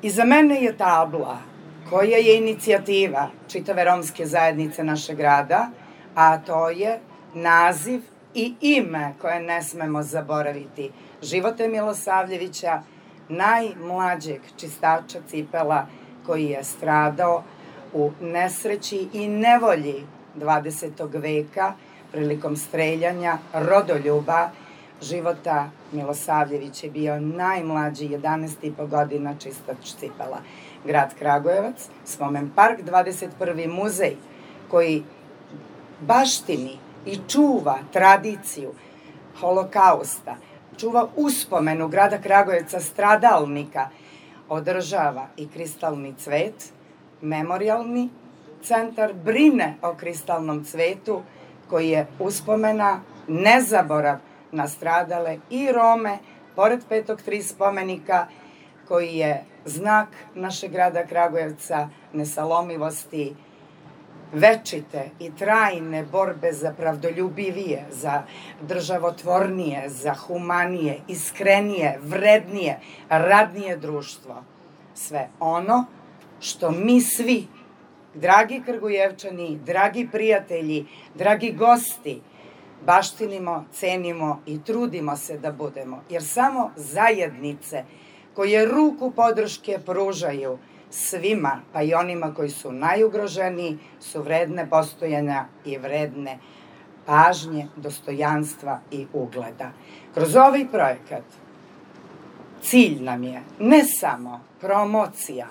Iza mene je tabla koja je inicijativa čitave romske zajednice našeg grada, a to je naziv i ime koje ne smemo zaboraviti Živote Milosavljevića, najmlađeg čistača cipela koji je stradao u nesreći i nevolji 20. veka prilikom streljanja rodoljuba. Života Milosavljević je bio najmlađi, 11,5 godina čistač cipela. Grad Kragujevac, Spomen park, 21. muzej koji baštini i čuva tradiciju Holokausta, čuva uspomenu grada Kragujevca stradalnika, održava i kristalni cvet, memorijalni centar brine o kristalnom cvetu koji je uspomena, nezaborav na stradale i Rome, pored Petog Tri spomenika, koji je znak našeg grada Kragujevca, nesalomivosti, večite i trajne borbe za pravdoljubivije, za državotvornije, za humanije, iskrenije, vrednije, radnije društvo. Sve ono što mi svi, dragi Kragujevčani, dragi prijatelji, dragi gosti, baštinimo, cenimo i trudimo se da budemo. Jer samo zajednice koje ruku podrške pružaju svima, pa i onima koji su najugroženiji, su vredne postojanja i vredne pažnje, dostojanstva i ugleda. Kroz ovaj projekat cilj nam je ne samo promocija,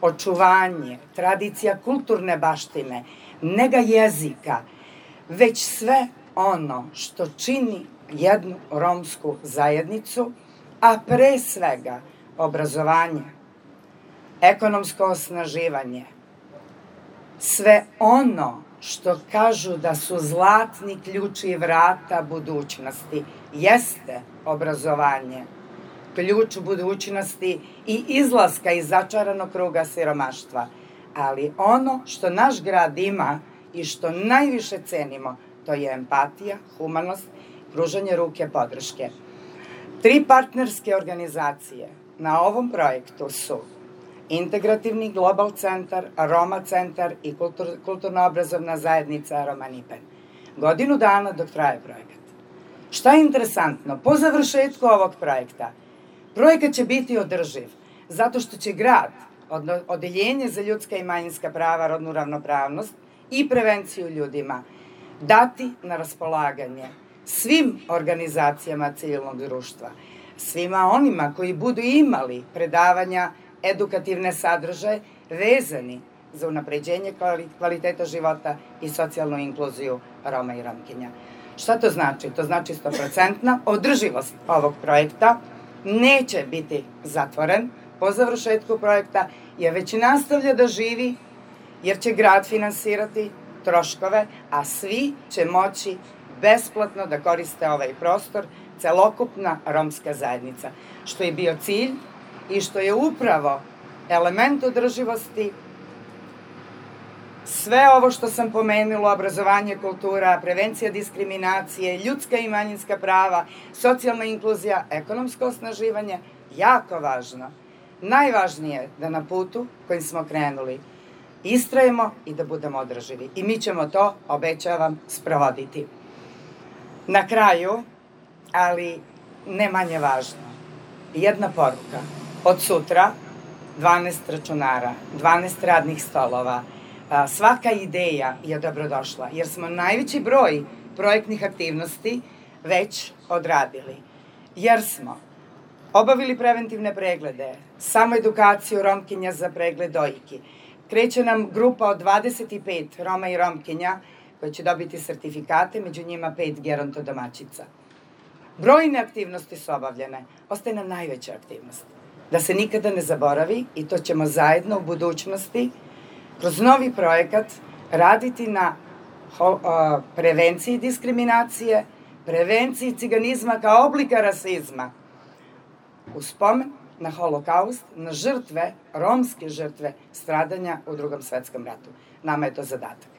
očuvanje, tradicija kulturne baštine, nega jezika, već sve ono što čini jednu romsku zajednicu, a pre svega obrazovanje, ekonomsko osnaživanje, sve ono što kažu da su zlatni ključi vrata budućnosti, jeste obrazovanje, ključ budućnosti i izlaska iz začaranog kruga siromaštva. Ali ono što naš grad ima i što najviše cenimo, to je empatija, humanost, pružanje ruke podrške. 3 partnerske organizacije na ovom projektu su Integrativni global centar, Roma centar i kulturno-obrazovna zajednica Roma Nipen. Godinu dana dok traje projekat. Šta je interesantno? Po završetku ovog projekta, projekat će biti održiv, zato što će grad, Odeljenje za ljudska i manjinska prava, rodnu ravnopravnost i prevenciju ljudima, dati na raspolaganje svim organizacijama civilnog društva, svima onima koji budu imali predavanja, edukativne sadržaje vezani za unapređenje kvaliteta života i socijalnu inkluziju Roma i Romkinja. Šta to znači? To znači 100% održivost ovog projekta, neće biti zatvoren po završetku projekta, jer već nastavlja da živi, jer će grad finansirati troškove, a svi će moći besplatno da koriste ovaj prostor, celokupna romska zajednica, što je bio cilj i što je upravo element održivosti. Sve ovo što sam pomenula, obrazovanje, kultura, prevencija diskriminacije, ljudska i manjinska prava, socijalna inkluzija, ekonomsko osnaživanje, jako važno. Najvažnije je da na putu kojim smo krenuli istrajemo i da budemo održivi. I mi ćemo to, obećavam, sprovoditi. Na kraju, ali ne manje važno, jedna poruka. Od sutra 12 računara, 12 radnih stolova, svaka ideja je dobrodošla, jer smo najveći broj projektnih aktivnosti već odradili. Jer smo obavili preventivne preglede, samo edukaciju Romkinja za pregled dojki. Kreće nam grupa od 25 Roma i Romkinja koji će dobiti sertifikate, među njima 5 gerontodomaćica. Brojne aktivnosti su obavljene, ostaje nam najveća aktivnost. Da se nikada ne zaboravi, i to ćemo zajedno u budućnosti, kroz novi projekat, raditi na prevenciji diskriminacije, prevenciji ciganizma kao oblika rasizma, u spomen na Holokaust, na žrtve, romske žrtve stradanja u Drugom svetskom ratu. Nama je to zadatak.